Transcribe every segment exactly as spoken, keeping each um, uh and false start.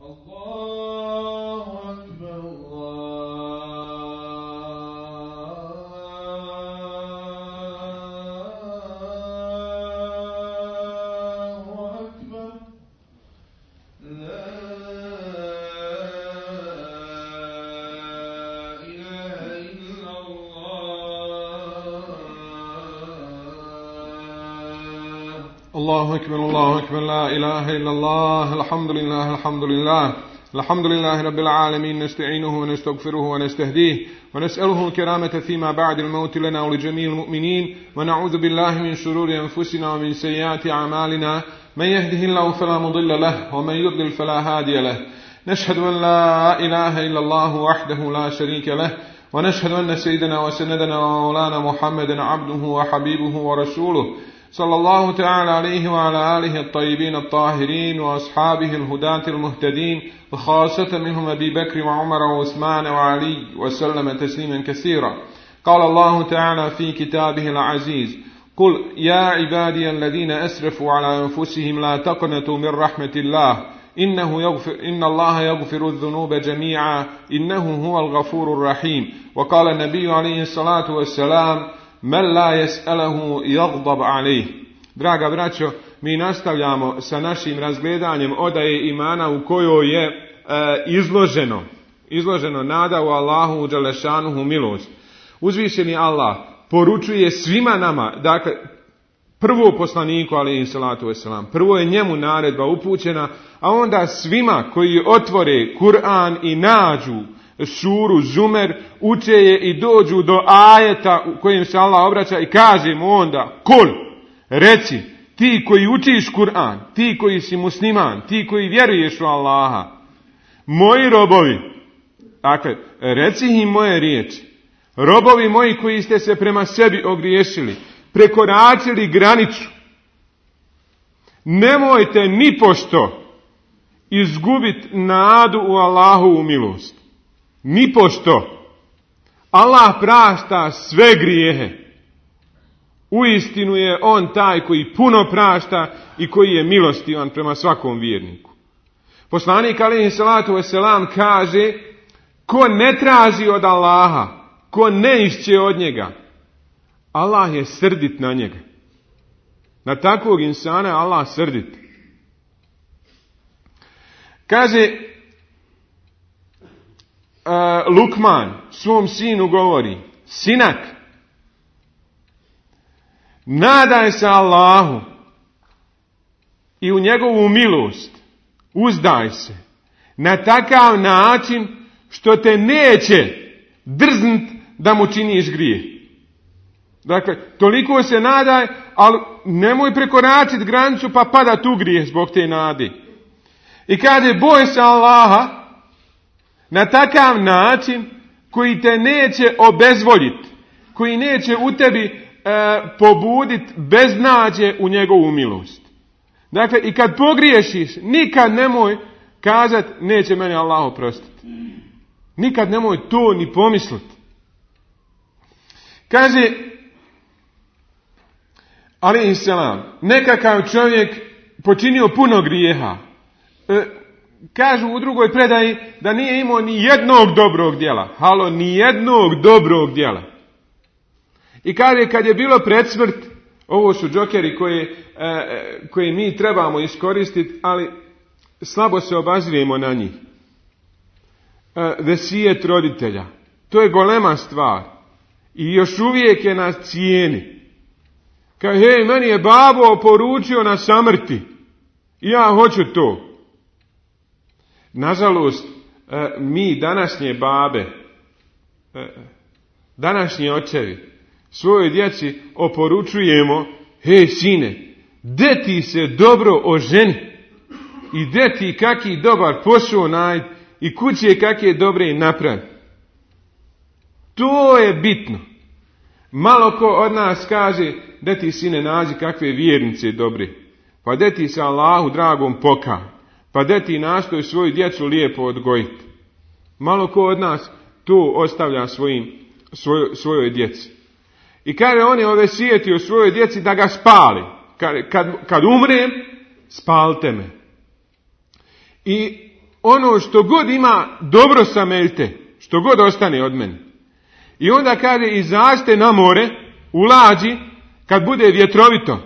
الله أكبر الله أكبر لا إله إلا الله الحمد لله الحمد لله الحمد لله رب العالمين نستعينه ونستغفره ونستهديه ونسأله الكرامة فيما بعد الموت لنا ولجميع المؤمنين ونعوذ بالله من شرور أنفسنا ومن سيئات أعمالنا من يهده الله فلا مضل له ومن يضلل فلا هادي له نشهد أن لا إله إلا الله وحده لا شريك له ونشهد أن سيدنا وسندنا ومولانا محمدا عبده وحبيبه ورسوله صلى الله تعالى عليه وعلى آله الطيبين الطاهرين وأصحابه الهداة المهتدين وخاصة منهم أبي بكر وعمر وعثمان وعلي وسلم تسليما كثيرا. قال الله تعالى في كتابه العزيز: قل يا عبادي الذين أسرفوا على أنفسهم لا تقنطوا من رحمة الله إنه يغفر إن الله يغفر الذنوب جميعا إنه هو الغفور الرحيم. وقال النبي عليه الصلاة والسلام: من لا يسأله يغضب عليه. Draga braćo, mi nastavljamo sa našim razgledanjem odaje imana u kojoj je e, izloženo, izloženo nada u Allahu dželešanuhu milost. Uzvišeni Allah poručuje svima nama, dakle, prvo poslaniku alejhi salatu vesselam, prvo je njemu naredba upućena, a onda svima koji otvore Kur'an i nađu suru Zumer, uče je i dođu do ajeta u kojem se Allah obraća i kaže mu onda: kul, reci, ti koji učiš Kur'an, ti koji si musliman, ti koji vjeruješ u Allaha, moji robovi, dakle, reci im moje riječi, robovi moji koji ste se prema sebi ogriješili, prekoračili granicu, nemojte nipošto izgubiti nadu u Allahovu milost. Nipošto. Allah prašta sve grijehe. Uistinu je on taj koji puno prašta i koji je milostivan prema svakom vjerniku. Poslanik alejhi salatu vesselam kaže: ko ne traži od Allaha, ko ne išće od njega, Allah je srdit na njega. Na takvog insana je Allah srdit. Kaže uh, Lukman svom sinu govori: sinak, nadaj se Allahu i u njegovu milost uzdaj se na takav način što te neće drznut da mu činiš grijeh. Dakle, toliko se nadaj, ali nemoj prekoračiti granicu pa pada tu grijeh zbog te nade. I kaže: boj se Allaha na takav način koji te neće obezvoljiti, koji neće u tebi e, pobuditi beznađe u njegovu milost. Dakle, i kad pogriješiš, nikad nemoj kazati: neće meni Allah oprostiti. Nikad nemoj to ni pomisliti. Kaže alejhi selam, nekakav čovjek počinio puno grijeha. E, kažu u drugoj predaji da nije imao ni jednog dobrog djela. Halo, ni jednog dobrog djela. I kaže, kad je bilo pred smrt, ovo su džokeri koje, e, koje mi trebamo iskoristiti, ali slabo se obazrijemo na njih. E, vesijet roditelja. To je golema stvar. I još uvijek je na cijeni. Kaže: hej, meni je babo poručio na samrti. I ja hoću to. Nažalost, mi današnje babe, današnji očevi, svojoj djeci oporučujemo: hej sine, de ti se dobro oženi i de ti kaki dobar posao nađi i kuće kakve dobre napravi. To je bitno. Malo ko od nas kaže: de ti sine nađi kakve vjernice dobre, pa de ti se Allahu dragom pokaj, pa de ti nastoj svoju djecu lijepo odgojiti. Malo ko od nas to ostavlja svojim, svoj, svojoj djeci. I kaže, on je ovesijetio svojoj djeci da ga spali. Kad, kad, kad umrem, spalite me. I ono što god ima dobro sameljte, što god ostane od mene. I onda kaže, izađite na more, u lađi, kad bude vjetrovito.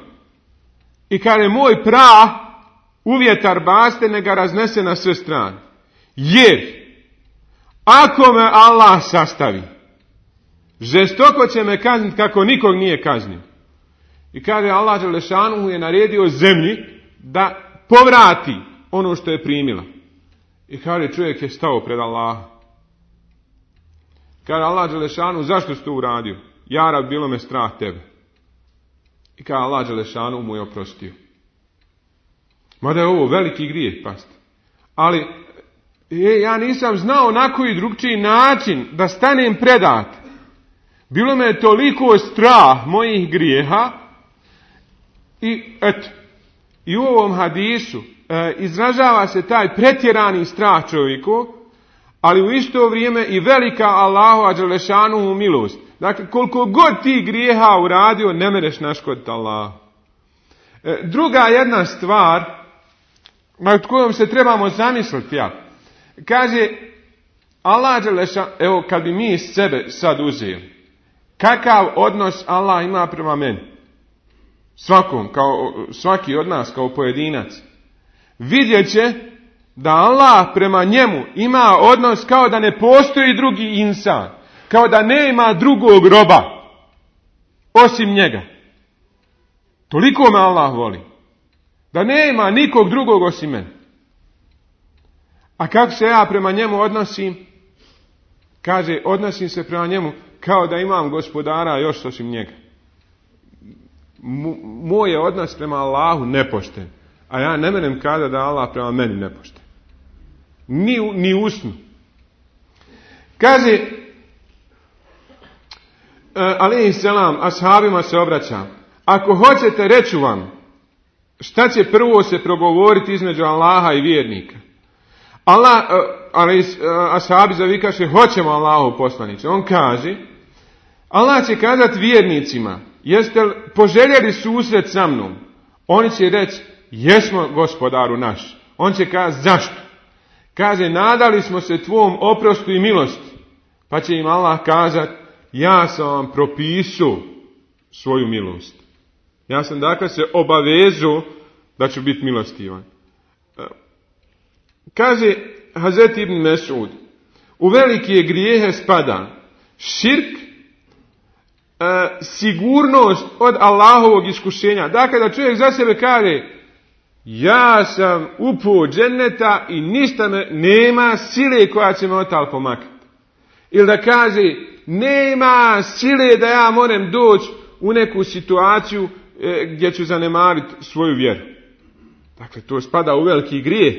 I kaže, moj prah u vjetar baste, ne ga raznese na sve strane. Jer, ako me Allah sastavi, žestoko će me kazniti kako nikog nije kaznio. I kaže, Allah Đelešanuhu je naredio zemlji da povrati ono što je primila. I kaže, čovjek je stao pred Allaha. Kaže Allah Đelešanuhu, zašto si to uradio? Ja rab, bilo me strah tebe. I kaže Allah Đelešanuhu mu je oprostio. Mada je ovo veliki grijeh, pasti. Ali e, ja nisam znao na koji drugčiji način da stanem predat. Bilo me toliko strah mojih grijeha. I eto, i u ovom hadisu e, izražava se taj pretjerani strah čovjeku, ali u isto vrijeme i velika Allahova Đelešanuhu milost. Dakle, koliko god ti grijeha uradio, ne mereš naškoditi Allah. E, druga jedna stvar, nad kojom se trebamo zamisliti, ja. Kaže, Allah Đelešanuhu, evo kad bi mi sebe sad uzeli, kakav odnos Allah ima prema meni? Svakom, kao, svaki od nas kao pojedinac. Vidjet će da Allah prema njemu ima odnos kao da ne postoji drugi insan. Kao da nema drugog roba osim njega. Toliko me Allah voli. Da nema nikog drugog osim mene. A kako se ja prema njemu odnosim? Kaže, odnosim se prema njemu kao da imam gospodara još osim njega. Moj je odnos prema Allahu nepošten. A ja ne menem kada da Allah prema meni nepošten. Ni, ni usnu. Kaže, alejhi selam, ashabima se obraća. Ako hoćete, reću vam šta će prvo se progovoriti između Allaha i vjernika. Allah, ali ashabi zavikaše, hoćemo Allahu poslanice. On kaže, Allah će kazati vjernicima, jeste li poželjeli susret sa mnom? Oni će reći, jesmo gospodaru naš. On će kazati, zašto? Kaže, nadali smo se tvom oprostu i milosti. Pa će im Allah kazati, ja sam vam propisao svoju milost. Ja sam dakle se obavezao da ću biti milostivan. Kaže Hazret ibn Mesud, u velike grijehe spada širk, e, sigurnost od Allahovog iskušenja. Dakle, da čovjek za sebe kaže, ja sam upao dženneta i ništa me, nema sile koja će me otal pomakati. Ili da kaže, nema sile da ja moram doći u neku situaciju e, gdje ću zanemariti svoju vjeru. Dakle, to spada u veliki grijeh.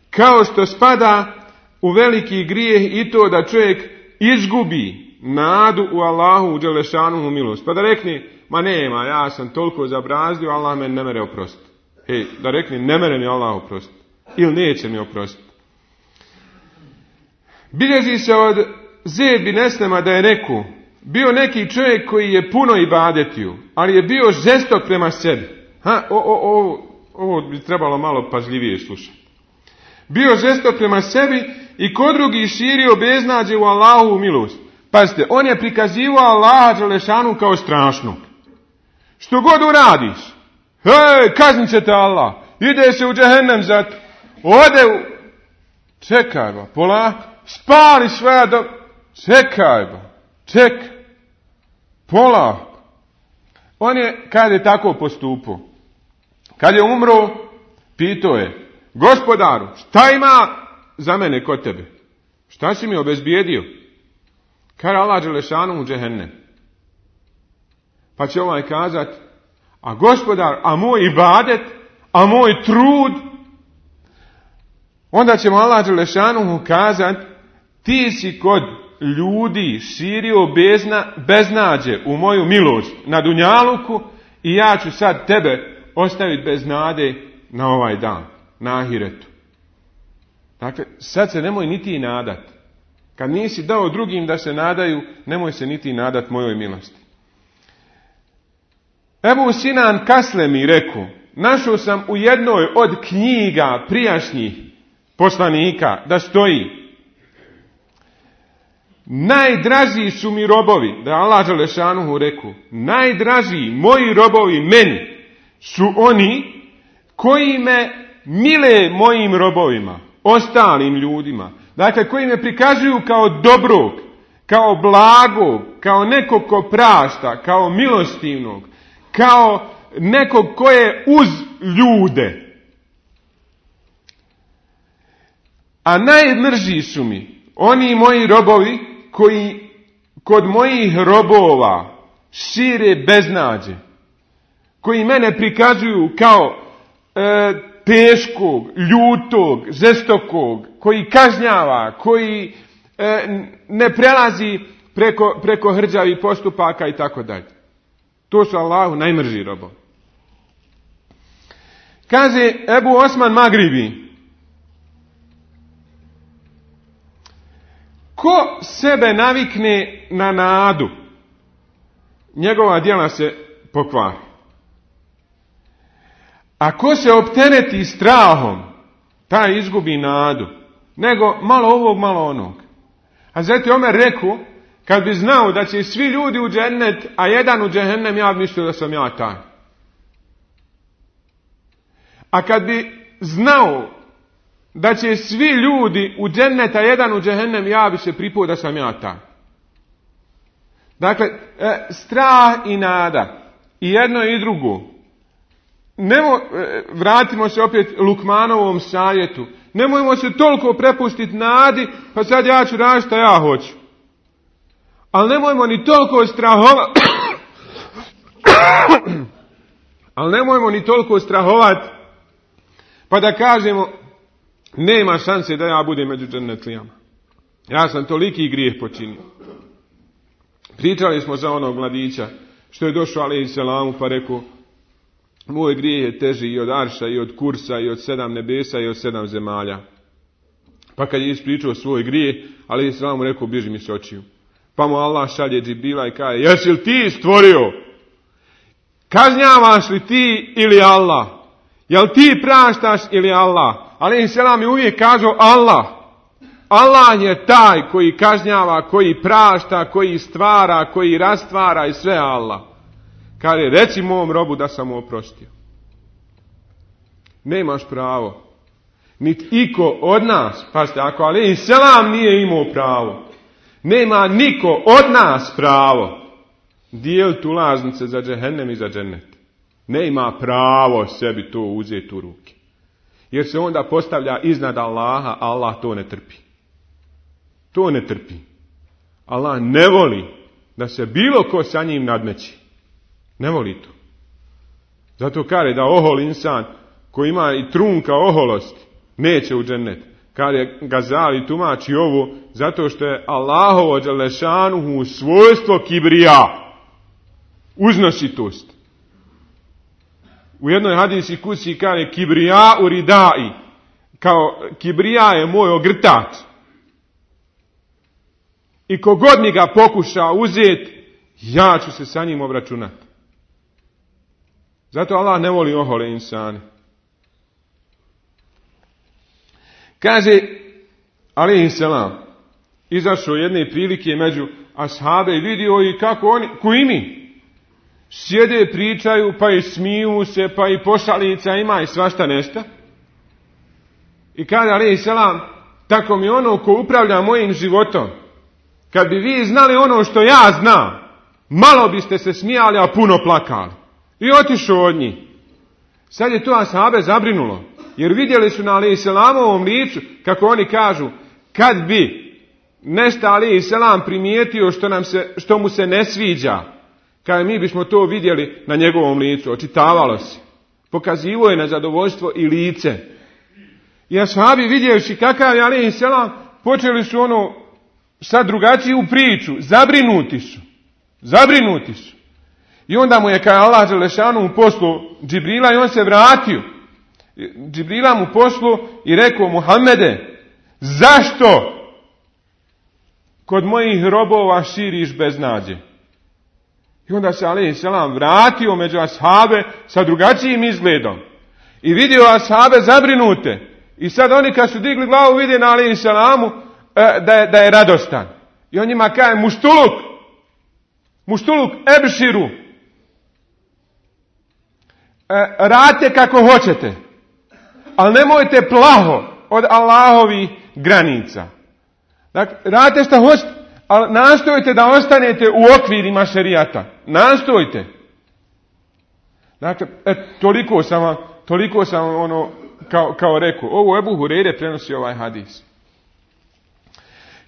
Kao što spada u veliki grijeh i to da čovjek izgubi nadu u Allahu, u Đelešanuhu milost. Pa da rekne, ma nema, ja sam toliko zabrazdio, Allah me ne mere oprostiti. Hej, da rekne, ne mere mi Allah oprostiti. Ili neće mi oprostiti. Bilježi se od Zeid bin Eslema da je rekao, bio neki čovjek koji je puno ibadetio, ali je bio žestok prema sebi. Ha, o, o, o, ovo bi trebalo malo pažljivije slušati. Bio žestok prema sebi i kod drugih širio beznađe u Allahovu milost. Pazite, on je prikazivao Allaha Đelešanu kao strašnog. Što god uradiš, hej, kaznit će te Allah, ide se u džehennem za to, ode u... Čekaj ba, polako, spali sve do... Čekaj ba, čekaj, polako. On je, kad je tako postupao, kad je umro, pitao je, gospodaru, šta ima za mene kod tebe? Šta si mi obezbijedio? Kaže Allah Đelešanu u džehennem. Pa će ovaj kazat, a gospodar, a moj ibadet, a moj trud? Onda će mu Allah Đelešanu kazat, ti si kod ljudi širio bezna, beznađe u moju milost na dunjaluku i ja ću sad tebe ostaviti bez nade na ovaj dan, na ahiretu. Dakle, sad se nemoj niti nadat. Kad nisi dao drugim da se nadaju, nemoj se niti nadat mojoj milosti. Ebu Sinan Kaslemi rekao, našao sam u jednoj od knjiga prijašnjih poslanika da stoji: najdraži su mi robovi, da je Allah dželešanuhu rekao, najdraži moji robovi meni su oni koji me mile mojim robovima, ostalim ljudima. Dakle, koji me prikazuju kao dobrog, kao blagog, kao nekog ko prašta, kao milostivnog, kao nekog ko je uz ljude. A najmrži su mi oni moji robovi koji kod mojih robova šire beznađe, koji mene prikazuju kao e, teškog, ljutog, žestokog, koji kažnjava, koji e, ne prelazi preko, preko hrđavih postupaka i tako dalje. To su Allahu najmrži robovi. Kaže Ebu Osman Magribi: ko sebe navikne na nadu, njegova djela se pokvari. A ko se optereti strahom, taj izgubi nadu. Nego malo ovog, malo onog. A zato Omer rekao, kad bi znao da će svi ljudi u džennet, a jedan u džehennem, ja bi mislio da sam ja taj. A kad bi znao da će svi ljudi u džennet, a jedan u džehennem, ja bi se pripao da sam ja taj. Dakle, e, strah i nada, i jedno i drugo. Nemo, vratimo se opet Lukmanovom savjetu. Nemojmo se toliko prepustiti nadi, pa sad ja ću raditi što ja hoću. Ali nemojmo ni toliko strahovati. Ali nemojmo ni toliko strahovati, pa da kažemo, nema šanse da ja budem među džennetlijama. Ja sam toliki grijeh počinio. Pričali smo za onog mladića, što je došao alejhi selamu pa rekao, moj grijeh je teži i od arša, i od kursa, i od sedam nebesa, i od sedam zemalja. Pa kad je ispričao svoj grijeh, alejhi selamu rekao, bježi mi s očiju. Pa mu Allah šalje Džibrila i kaže, jesi li ti stvorio? Kažnjavaš li ti ili Allah? Jel ti praštaš ili Allah? Alejhi selam je uvijek kazao Allah. Allah je taj koji kažnjava, koji prašta, koji stvara, koji rastvara i sve Allah. Kaže, reci mom robu da sam mu oprostio. Nemaš pravo. Niti iko od nas, pazite, ako alejhi selam nije imao pravo, nema niko od nas pravo dijeliti ulaznice za džehennem i za džennet. Nema pravo sebi to uzeti u ruke. Jer se onda postavlja iznad Allaha, a Allah to ne trpi. To ne trpi. Allah ne voli da se bilo ko sa njim nadmeći. Ne voli to. Zato kaže da ohol insan koji ima i trunka oholosti neće u džennet. Kaže Gazali tumači ovo zato što je Allahovo dželešanuhu svojstvo kibrija. Uznositost. U jednoj hadisi kusi kaže kibrija u ridai. Kao kibrija je moj ogrtač. I kogod mi ga pokuša uzeti, ja ću se sa njim obračunati. Zato Allah ne voli ohole insane. Kaže alejhi selam, izašao jedne prilike među ashabe i vidio i kako oni, koji mi, sjede, pričaju, pa i smiju se, pa i pošalica ima i svašta nešto. I kaže alejhi selam, tako mi ono ko upravlja mojim životom, kad bi vi znali ono što ja znam, malo biste se smijali, a puno plakali. I otišao od njih. Sad je to ashabe zabrinulo. Jer vidjeli su na alejhi selamovom licu, kako oni kažu, kad bi nešto alejhi selam primijetio što, nam se, što mu se ne sviđa, kada mi bismo to vidjeli na njegovom licu, očitavalo se. Pokazivo je na zadovoljstvo i lice. I ashabi vidjevši kakav je alejhi selam, počeli su ono sad drugačiju priču, zabrinuti su. Zabrinuti su. I onda mu je kaj Allah dželešanu poslao Džibrila i on se vratio. Džibrila mu poslao i rekao, Muhammede, zašto kod mojih robova širiš beznađe? I onda se alejhi selam vratio među ashabe sa drugačijim izgledom. I vidio ashabe zabrinute. I sad oni kad su digli glavu vide na alejhi selamu da je, da je radostan. I on njima kaže muštuluk, muštuluk ebširu. Radite kako hoćete, ali nemojte plaho od Allahovih granica. Dakle, radite što hoćete, ali nastojite da ostanete u okvirima šerijata. Nastojte. Dakle, et, toliko sam vam, toliko sam vam ono, kao, kao rekao. Ovo Ebu Hureyre prenosi ovaj hadis.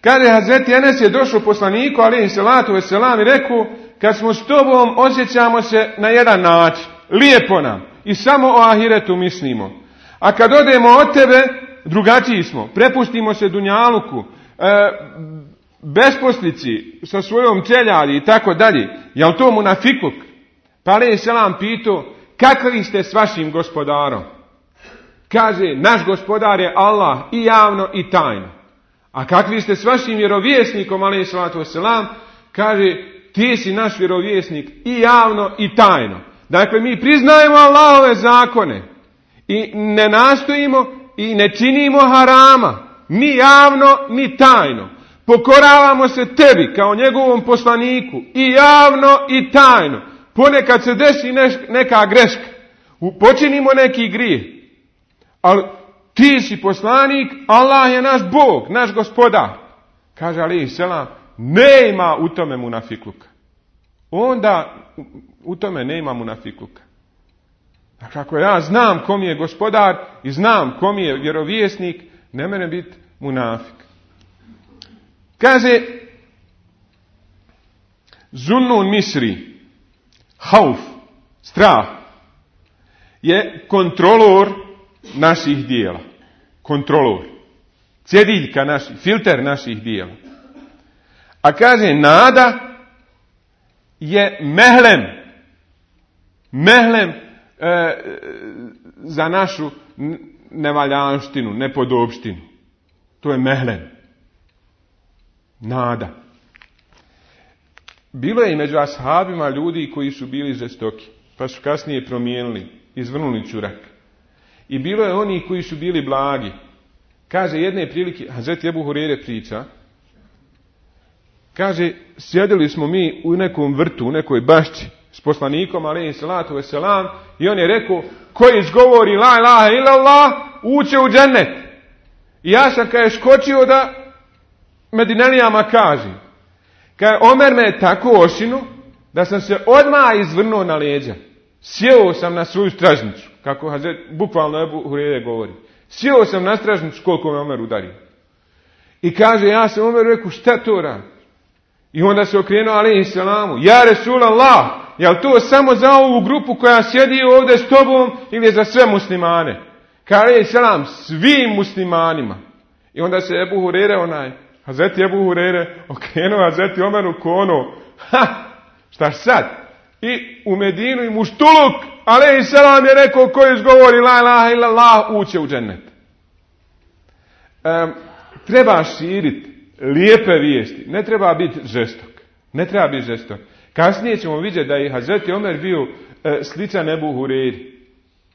Kaže, Hazreti Enes je došao poslaniku, alejhi selatu vesselam, i rekao, kad smo s tobom osjećamo se na jedan način. Lijepo nam. I samo o ahiretu mislimo. A kad odemo od tebe, drugačiji smo. Prepustimo se dunjaluku, e, besposlici, sa svojom čeljadi i tako dalje. Jel to munafikluk? Pa alejhi selam pitao, kakvi ste s vašim gospodarom? Kaže, naš gospodar je Allah i javno i tajno. A kakvi ste s vašim vjerovjesnikom, alejhi salatu vesselam? Kaže, ti si naš vjerovjesnik i javno i tajno. Dakle, mi priznajemo Allahove zakone i ne nastojimo i ne činimo harama, ni javno, ni tajno. Pokoravamo se tebi kao njegovom poslaniku i javno i tajno. Ponekad se desi neka greška, počinimo neki grijeh, ali ti si poslanik, Allah je naš Bog, naš gospodar. Kaže alejhi selam, nema u tome munafikluka. Onda u tome nema munafikluka. Dakle, ako ja znam kom je gospodar i znam kom je vjerovjesnik, ne mene biti munafik. Kaže Zunnun Misri, hauf, strah, je kontrolor naših dijela. Kontrolor. Cjediljka naših, filter naših dijela. A kaže nada je mehlem. Mehlem e, za našu nevaljanštinu, nepodobštinu. To je mehlem. Nada. Bilo je i među ashabima ljudi koji su bili žestoki, pa su kasnije promijenili, izvrnuli čurak. I bilo je oni koji su bili blagi. Kaže jedne prilike, Hazreti Ebu Hureyre priča, kaže, sjedili smo mi u nekom vrtu, u nekoj bašči s poslanikom, alejhi salatu vesselam, i on je rekao, ko izgovori la ilaha illallah, uće u džennet. I ja sam kaže skočio da Medinelijama kažem. Kaže, Omer me je tako ošinu da sam se odmah izvrnuo na leđa. Sjeo sam na svoju stražnicu, kako Hazret, bukvalno Ebu Hureyre govori. Sjeo sam na stražnicu koliko me Omer udario. I kaže, ja sam Omeru rekao, šta to radi? I onda se okrenuo alejhi selamu, ja Resulallah, je li to samo za ovu grupu koja sjedi ovdje s tobom ili je za sve muslimane? Kaže alejhi selam, svim muslimanima. I onda se Ebu Hureyre onaj, Hazreti Ebu Hureyre okrenuo Hazreti Omeru ko ono, ha, šta sad? I u Medinu i muštuluk, alejhi selam je rekao, ko izgovori la ilaha illallah, uće u džennet. Um, treba širiti lijepe vijesti, ne treba biti žestok. Ne treba biti žestok. Kasnije ćemo vidjeti da je Hazreti Omer bio e, sličan Ebu Hureyri.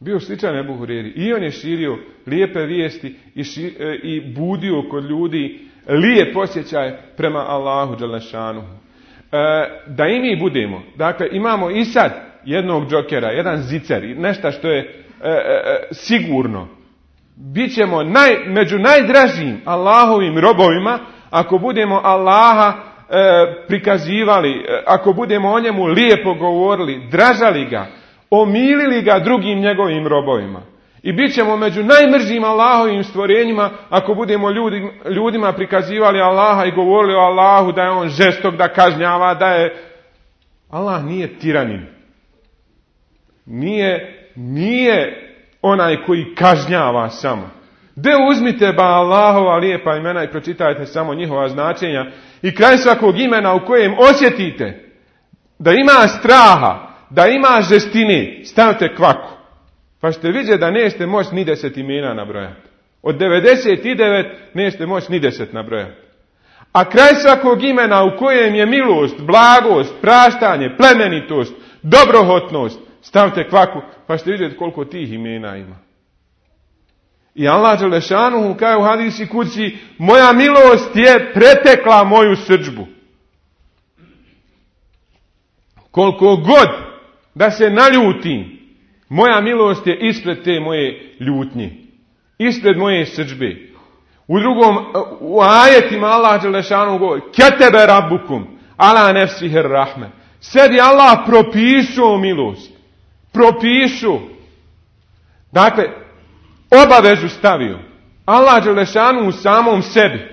Bio sličan Ebu Hureyri. I on je širio lijepe vijesti i, ši, e, i budio kod ljudi lijep osjećaj prema Allahu dželešanu. E, da i mi budemo. Dakle, imamo i sad jednog džokera, jedan zicer, nešto što je e, e, sigurno. Bićemo naj, među najdražim Allahovim robovima ako budemo Allaha e, prikazivali, e, ako budemo o njemu lijepo govorili, dražali ga, omilili ga drugim njegovim robovima. I bit ćemo među najmržim Allahovim stvorenjima ako budemo ljudi, ljudima prikazivali Allaha i govorili o Allahu da je on žestok, da kažnjava, da je... Allah nije tiranin. Nije, nije onaj koji kažnjava samo. De uzmite ba Allahova lijepa imena i pročitajte samo njihova značenja i kraj svakog imena u kojem osjetite da ima straha, da ima žestine, stavite kvaku. Pa ćete vidjeti da nećete moći ni deset imena nabrojati. Od devedeset devet nećete moći ni deset nabrojati. A kraj svakog imena u kojem je milost, blagost, praštanje, plemenitost, dobrohotnost, stavite kvaku, pa ćete vidjeti koliko tih imena ima. I Allah dželešanuhu kaže u hadisi kući, moja milost je pretekla moju srdžbu. Koliko god da se naljutim, moja milost je ispred te moje ljutnje. Ispred moje srdžbe. U drugom, u ajetima Allah dželešanuhu govori, ketebe rabbukum, ala nefsihir rahme. Sebi Allah propisao milost. Propisao. Dakle, obavezu stavio. Allah dželešanuhu u samom sebi.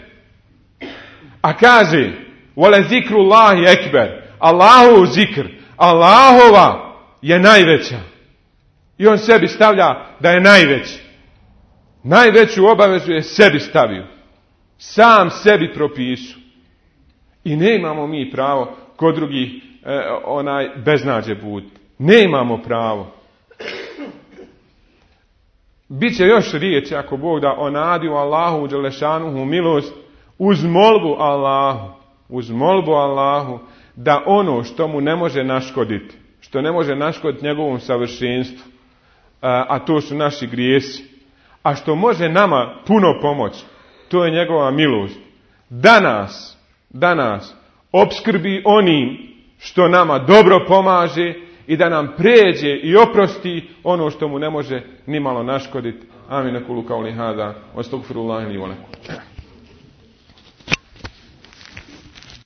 A kaže, vole zikrullahi ekber. Allahov zikr. Allahova je najveća. I on sebi stavlja da je najveći. Najveću obavezu je sebi stavio. Sam sebi propisu. I ne imamo mi pravo kod drugih e, onaj beznađe buditi. Ne imamo pravo. Biće još riječi ako Bog da o nadi u Allahu u dželešanuhu milost uz molbu Allahu. Uz molbu Allahu da ono što mu ne može naškoditi, što ne može naškoditi njegovom savršenstvu, a, a to su naši grijesi, a što može nama puno pomoći, to je njegova milost. Da nas, da nas opskrbi onim što nama dobro pomaže i da nam pređe i oprosti ono što mu ne može nimalo naškoditi. Amin. Kulu kauli hada, astagfirullahi li wa lakum.